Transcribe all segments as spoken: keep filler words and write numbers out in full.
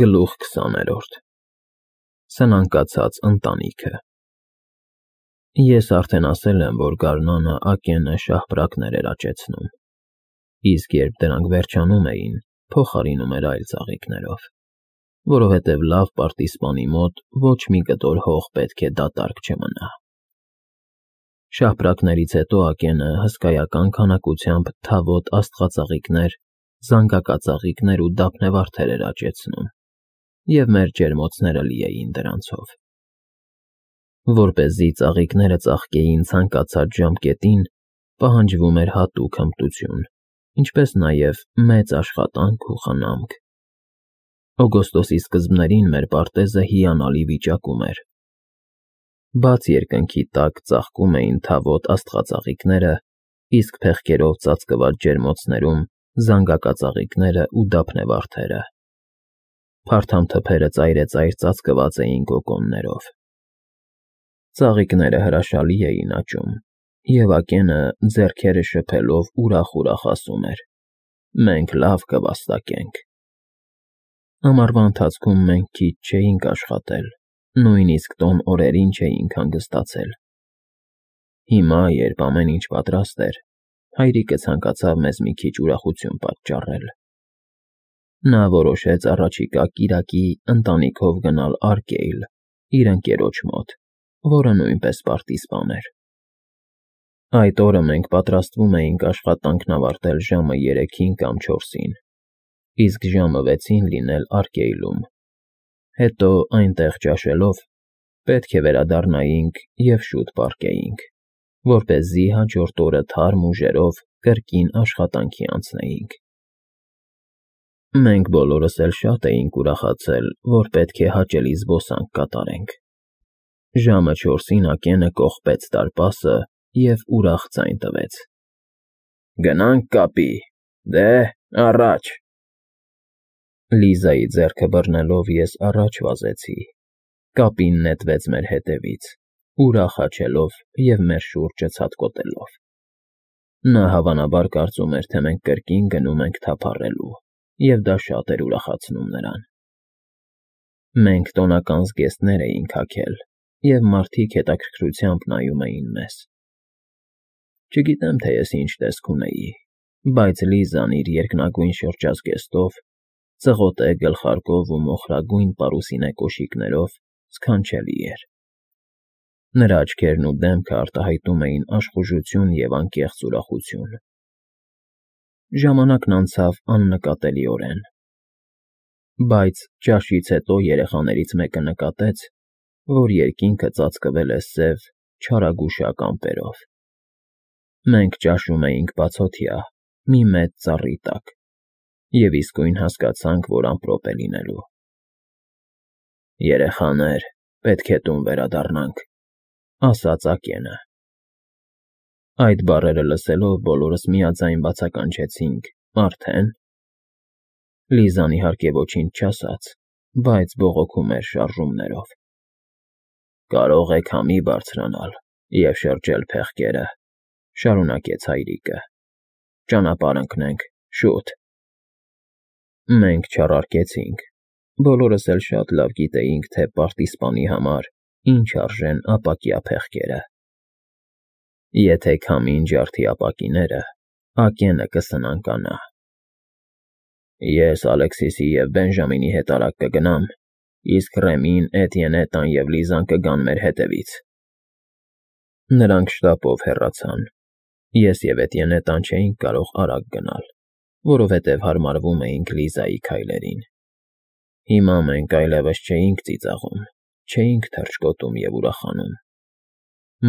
Գլուխ քսաներորդ Սնանկացած ընտանիքը Ես արդեն ասել եմ, որ գարնանը Ակենը շաղպրակներ էր աճեցնում, իսկ երբ դրանք վերջանում էին, փոխարինում էր այլ ծաղիկներով, որովհետև լավ պարտիզպանի մոտ ոչ մի կտոր հող պետք է դատարկ չմնա։ Շաղպրակներից հետո Ակենը հսկայական քանակությամբ թավոտ աստղածաղիկներ, զանգակածաղիկներ ու դափնեվարդեր էր աճեցնում, և մեր ջերմոցները լի էին դրանցով։ Որպեսզի ծաղիկները ծաղկեին ցանկացած ժամկետին, պահանջվում էր հատուկ հմտություն, ինչպես նաև մեծ աշխատանք ու խնամք։ Օգոստոսի սկզբներին մեր պարտեզը հիանալի վիճակում էր։ Բաց երկնքի տակ ծաղկում էին թավոտ աստղածաղիկները, իսկ փեղկերով ծածկված ջերմոցներում զանգակածաղիկները ու դափնեվարդերը։ Փարթամ թփերը ծայրեծայր ծածկված էին գոգոններով։ Ծաղիկները հրաշալի էին աճում, և Ակենը ձեռքերը շփելով ուրախ֊ուրախ ասում էր. «Մենք լավ կվաստակենք»։ Ամառվա ընթացքում մենք քիչ չէինք աշխատել, նույնիսկ տոն օրերին չէինք հանգստացել։ Հիմա, երբ ամեն ինչ պատրաստ էր, հայրիկը ցանկացավ մեզ մի քիչ ուրախություն պատճառել։ Նա որոշեց առաջիկա կիրակի ընտանիքով գնալ Արկեյլ, իր ընկերոջ մոտ, որը նույնպես պարտիզպան էր։ Այդ օրը մենք պատրաստվում էինք աշխատանքն ավարտել ժամը երեքին կամ չորսին, իսկ ժամը վեցին լինել Արկեյլում, հետո այնտեղ ճաշելով պետք է վերադառնայինք և շուտ պառկեինք, որպեսզի հաջորդ օրը թարմ ուժերով կրկին աշխատանքի անցնեինք։ Մենք բոլորս էլ շատ էինք ուրախացել, որ պետք է հաճելի զբոսանք կատարենք։ Ժամը չորսին Ակենը կողպեց դարպասը և ուրախ ձայն տվեց. «Գնա՞նք կապի, դե, առաջ»։ Լիզայի ձեռքը բռնելով ես առաջ վազեցի, կապին նետվեց մեր հետևից, ուրախ հաչելով և մեր շուրջը ցատկոտելով։ Նա հավանաբար կարծում էր, թե մենք կրկին գնում ենք թափառելու, և դա շատ էր ուրախացնում նրան։ Մենք տոնական զգեստներ էինք հագել, և մարդիկ հետաքրքրությամբ նայում էին մեզ։ Չգիտեմ, թե ես ինչ տեսք ունեի, բայց Լիզան իր երկնագույն շրջազգեստով, ծղոտե գլխարկով ու մոխրագույն պարուսինե կոշիկներով սքանչելի էր։ Նրա աչքերն ու դեմքը արտահայտում էին աշխուժություն և անկեղծ ուրախություն։ Ժամանակն անցավ աննկատելիորեն։ Բայց ճաշից հետո երեխաներից մեկը նկատեց, որ երկինքը ծածկվել է սև, չարագուշակ ամպերով։ Մենք ճաշում էինք բացօթյա, մի մեծ ծառի տակ, և իսկույն հասկացանք, որ ամպրոպ է լինելու։ «Երեխաներ, պետք է տուն վերադառնանք», ֊ ասաց Ակենը։ Այդ բառերը լսելով բոլորս միաձայն բացականչեցինք. «Արդե՞ն»։ Լիզան իհարկե ոչինչ չասաց, բայց բողոքում էր շարժումներով։ «Կարող եք համի բարձրանալ և շրջել փեղկերը», ֊ շարունակեց հայրիկը։ «Ճանապարհ ընկնենք, շուտ»։ Մենք չառարկեցինք, բոլորս էլ շատ լավ գիտեինք, թե պարտիզպանի համար ինչ արժեն ապակյա փեղկերը։ Եթե քամին ջարդի ապակիները, Ակենը կսնանկանա։ Ես Ալեքսիսի և Բենժամինի հետ արագ կգնամ, իսկ Ռեմին, Էտիենետան և Լիզան կգան մեր հետևից։ Նրանք շտապով հեռացան։ Ես և Էտիենետան չէինք կարող արագ գնալ, որովհետև հարմարվում էինք Լիզայի քայլերին։ Հիմա մենք այլևս չէինք ծիծաղում, չէինք թռչկոտում և ուրախանում։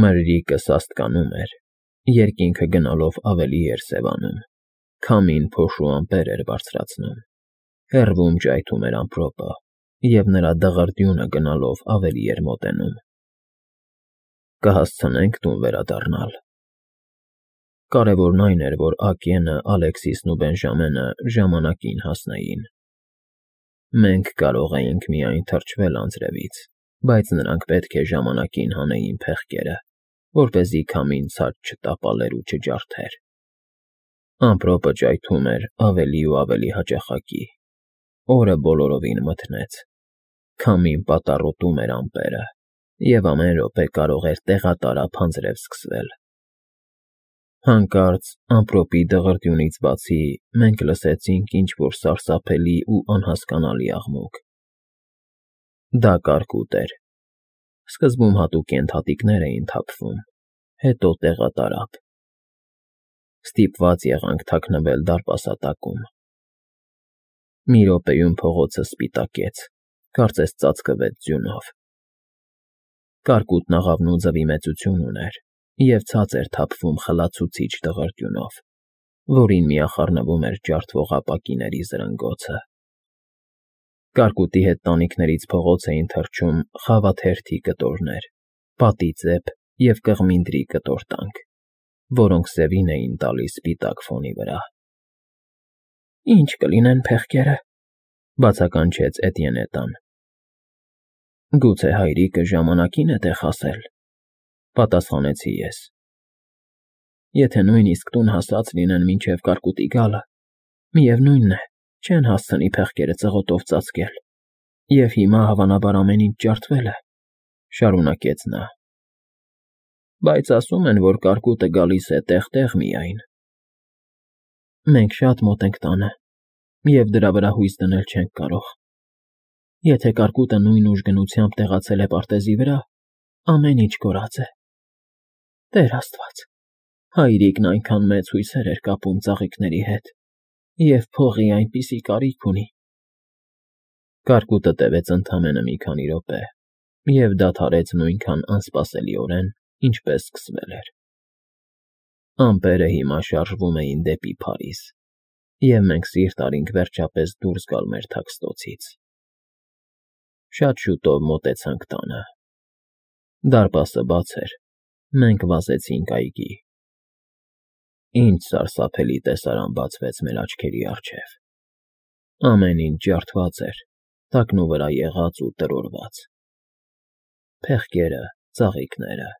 Մրրիկը սաստկանում էր, երկինքը գնալով ավելի էր սևանում, քամին փոշու ամպեր էր բարձրացնում, հեռվում ճայթում էր ամպրոպը, և նրա դղրդյունը գնալով ավելի էր մոտենում։ Կհասցնե՞նք տուն վերադառնալ։ Կարևորն այն էր, որ Ակենը, Ալեքսիսն ու Բենժամինը ժամանակին հասնեին։ Մենք կարող էինք միայն թրջվել անձրևից, բայց նրանք պետք է ժամանակին հանեին փեղկերը, որպեսզի քամին ցած չտապալեր ու չջարդեր։ Ամպրոպը ճայթում էր ավելի ու ավելի հաճախակի, օրը բոլորովին մթնեց, քամին պատառոտում էր ամպերը, և ամեն րոպե կարող էր տեղատարափ անձրև սկսվել։ Հանկարծ ամպրոպի դղրդյունից բացի մենք լսեցինք ինչ֊որ սարսափելի ու անհասկանալի աղմուկ։ Դա կարկուտ էր։ Սկզբում հատուկ ենթատիկներ էին թափվում, հետո տեղատարափ։ Ստիպված եղանք թաքնվել դարպասատակում։ Մի րոպեում փողոցը սպիտակեց, կարծես ծածկվեց ձյունով։ Կարկուտն աղավնու ձվի մեծություն ուներ և ցած էր թափվում խլացուցիչ դղրդյունով, որին միախառնվում էր ջարդվող ապակիների զրնգոցը։ Կարկուտի հետ տանիքներից փողոց էին թռչում խավաթերթի կտորներ, պատիծեպ և կղմինդրի կտորտանք, որոնք սևին էին տալիս սպիտակ ֆոնի վրա։ «Ի՞նչ կլինեն փեղկերը,֊ բացականչեց Էտիենետան։ «Գուցե հայրիկը ժամանակին է տեղ հասել,֊ պատասխանեցի ես։ Եթե նույնիսկ տուն հասած լինեն մինչև կարկուտի գալը, միևնույն է, չեն հասցնի փեղկերը ծղոտով ծածկել, և հիմա, հավանաբար, ամեն ինչ ջարդվել է,֊ շարունակեց նա։ Բայց ասում են, որ կարկուտը գալիս է տեղ֊տեղ միայն։ Մենք շատ մոտ ենք տանը, և դրա վրա հույս դնել չենք կարող։ Եթե կարկուտը նույն ուժգնությամբ տեղացել է պարտեզի վրա, ամեն ինչ կորած է։ Տեր Աստված, հայրիկն այնքան մեծ հույսեր էր կապում ծաղիկների հետ, և փողի այնպիսի կարիք ունի։ Կարկուտը տևեց ընդամենը մի քանի րոպե և դադարեց նույնքան անսպասելիորեն, ինչպես սկսվել էր։ Ամպերը հիմա շարժվում էին դեպի Փարիզ, և մենք սիրտ արինք վերջապես դուրս գալ մեր թաքստոցից։ Շատ շուտով մոտեցանք տանը։ Դարպասը բաց էր, մենք վազեցինք այգի։ Ինչ սարսափելի տեսարան բացվեց մեր աչքերի առջև։ Ամեն ինչ ջարդված էր, տակնու վրա եղած ու տրորված։ Փեղկերը, ծաղիկները,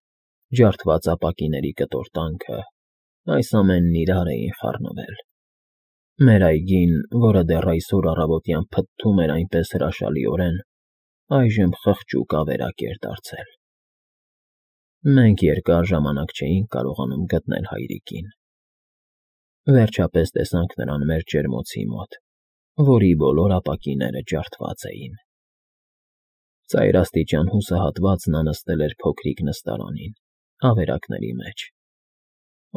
ջարդված ապակիների կտորտանքը, այս ամենն իրար էին խառնվել։ Մեր այգին, որը դեռ այսօր առավոտյան փթթում էր այնպես հրաշալիորեն, այժմ խղճուկ ավերակ էր դարձել։ Մենք երկար ժամանակ չէինք կարողանում գտնել հայրիկին։ Վերջապես տեսանք նրան մեր ջերմոցի մոտ, որի բոլոր ապակիները ջարդված էին։ Ծայրաստիճան հուսահատված նա նստել էր փոքրիկ նստարանին, ավերակների մեջ։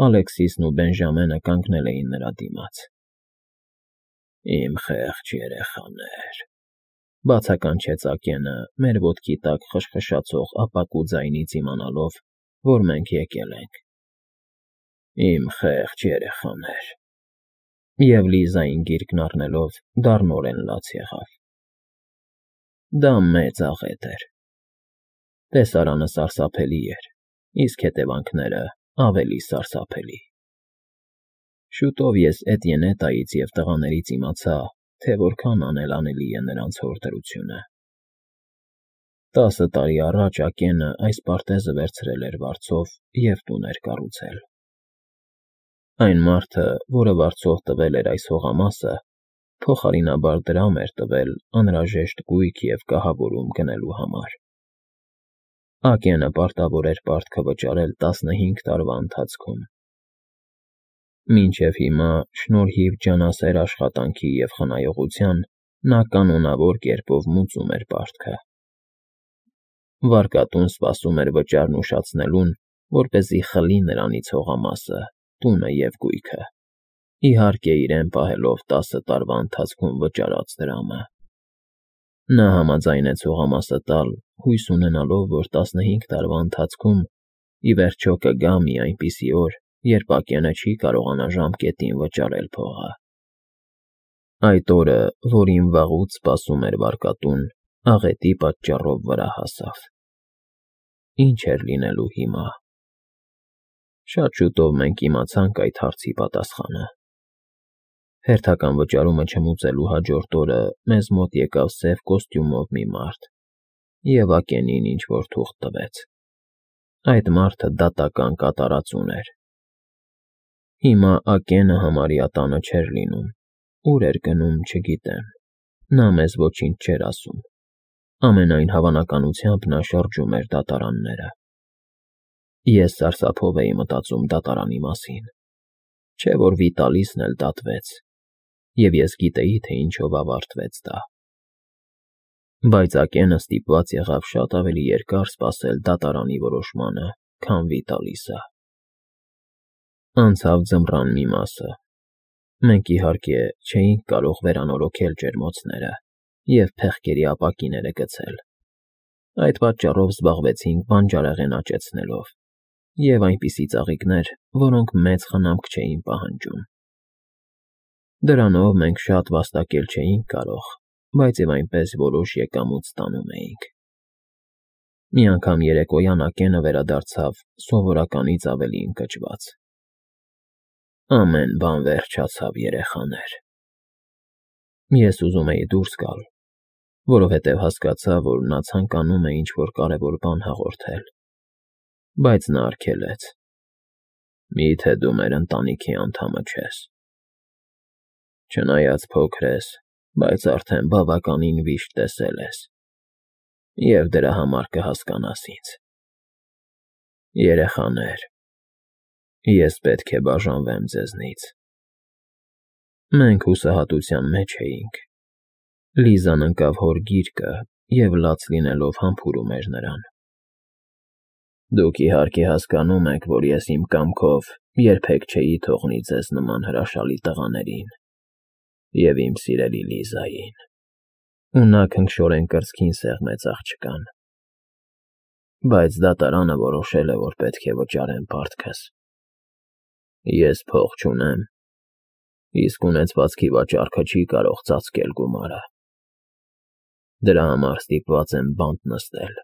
Ալեքսիսն ու Բենժամենը կանգնել էին նրա դիմաց։ Իմ խեղճ երեխաներ,֊ բացականչեց Ակենը, մեր ոտքի տակ խշխշացող ապակու ձայնից իմանալով, որ մենք եկել ենք։ Իմ խեղճ երեխաներ… Եվ Լիզային գիրկն առնելով դառնորեն լաց եղավ։ Դա մեծ աղետ էր։ Տեսարանը սարսափելի էր, իսկ հետևանքները ավելի սարսափելի։ Շուտով ես Էտիենետայից և տղաներից իմացա, թե որքան անելանելի է նրանց հորդորությունը։ Տասը տարի առաջ Ակենը այս պարտեզը վերցրել էր վարձով և տուն էր կառուցել։ Այն մարդը, որը վարձով տվել էր այս հողամասը, փոխարինաբար դրամ էր տվել անհրաժեշտ գույք և կահավորում գնելու համար։ Ակենը պարտավոր էր պարտքը վճարել տասնհինգ տարվա ընթացքում։ Մինչև հիմա, շնորհիվ ջանասեր աշխատանքի և խնայողության, նա կանոնավոր կերպով մուծում էր պարտքը։ Վարկատուն սպասում էր վճարն ուշացնելուն, որպեսզի խլի նրանից հողամասը, տունը և գույքը, իհարկե իրեն պահելով տասը տարվա ընթացքում վճարած դրամը։ Նա համաձայնեց հողամասը տալ, հույս ունենալով, որ տասնհինգ տարվա ընթացքում ի վերջո կգա մի այնպիսի օր, երբ Ակենը չի կարողանա ժամկետին վճարել փողը։ Այդ օրը, որին վաղուց սպասում էր վարկատուն, աղետի պատճառով վրա հասավ։ Ինչ էր լինելու հիմա։ Շատ շուտով մենք իմացանք այդ հարցի պատասխանը։ Հերթական վճարումը չմուծելու հաջորդ օրը մեզ մոտ եկավ սև կոստյումով մի մարդ և Ակենին ինչ֊որ թուղթ տվեց։ Այդ մարդը դատական կատարածուն էր։ Հիմա Ակենը համարյա տանը չէր լինում, ուր էր գնում՝ չգիտեմ։ Նա մեզ ոչինչ չէր ասում, ամենայն հավանականությամբ նա շրջում էր դատարանները։ Ես սարսափով էի մտածում դատարանի մասին, չէ որ Վիտալիսն էլ դատվեց, և ես գիտեի, թե ինչով ավարտվեց դա։ Բայց Ակենը ստիպված եղավ շատ ավելի երկար սպասել դատարանի որոշմանը, քան Վիտալիսը։ Անցավ ձմռան մի մասը։ Մենք, իհարկե, չէինք կարող վերանորոգել ջերմոցները և փեղկերի ապակիները գցել։ Այդ պատճառով զբաղվեցինք բանջարեղեն աճեցնելով և այնպիսի ծաղիկներ, որոնք մեծ խնամք չէին պահանջում։ Դրանով մենք շատ վաստակել չէինք կարող, բայց և այնպես որոշ եկամուտ ստանում էինք։ Մի անգամ երեկոյան Ակենը վերադարձավ սովորականից ավելի ընկճված։ Ամեն բան վերջացավ, երեխաներ։ Ես ուզում էի դուրս գալ, որովհետև հասկացա, որ նա ցանկանում է ինչ-որ կարևոր բան հաղորդել, բայց նա արգելեց։ Մի՞թե դու մեր ընտանիքի անդամը չես։ Չնայած փոքր ես, բայց արդեն բավականին վիշտ տեսել ես, և դրա համար կհասկանաս ինձ։ Երեխաներ, ես պետք է բաժանվեմ ձեզնից։ Մենք հուսահատության մեջ էինք։ Լիզան ընկավ հոր գիրկը և լաց լինելով համբուրում էր նրան։ Դուք իհարկե հասկանում եք, որ ես իմ կամքով երբեք չէի թողնի ձեզ նման հրաշալի տղաներին և իմ սիրելի Լիզային։ Ու նա քնքշորեն կրծքին սեղմեց աղջկան։ Բայց դատարանը որոշել է, որ պետք է վճարեմ պարտքս։ Ես փող չունեմ, իսկ ունեցվածքի վաճառքը չի կարող ծածկել գումարը։ Դրա համար ստիպված եմ բանտ նստել։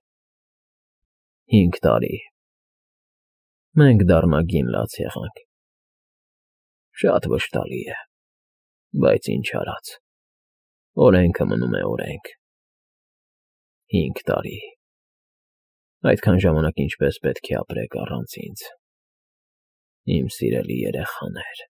Հինգ տարի։ Մենք դառնագին լաց եղանք։ Շատ վշտալի է, բայց ինչ արած, օրենքը մնում է օրենք։ Հինգ տարի։ Այդքան ժամանակ ինչպես պետք է ապրեք առանց ինձ, իմ սիրելի երեխաներ։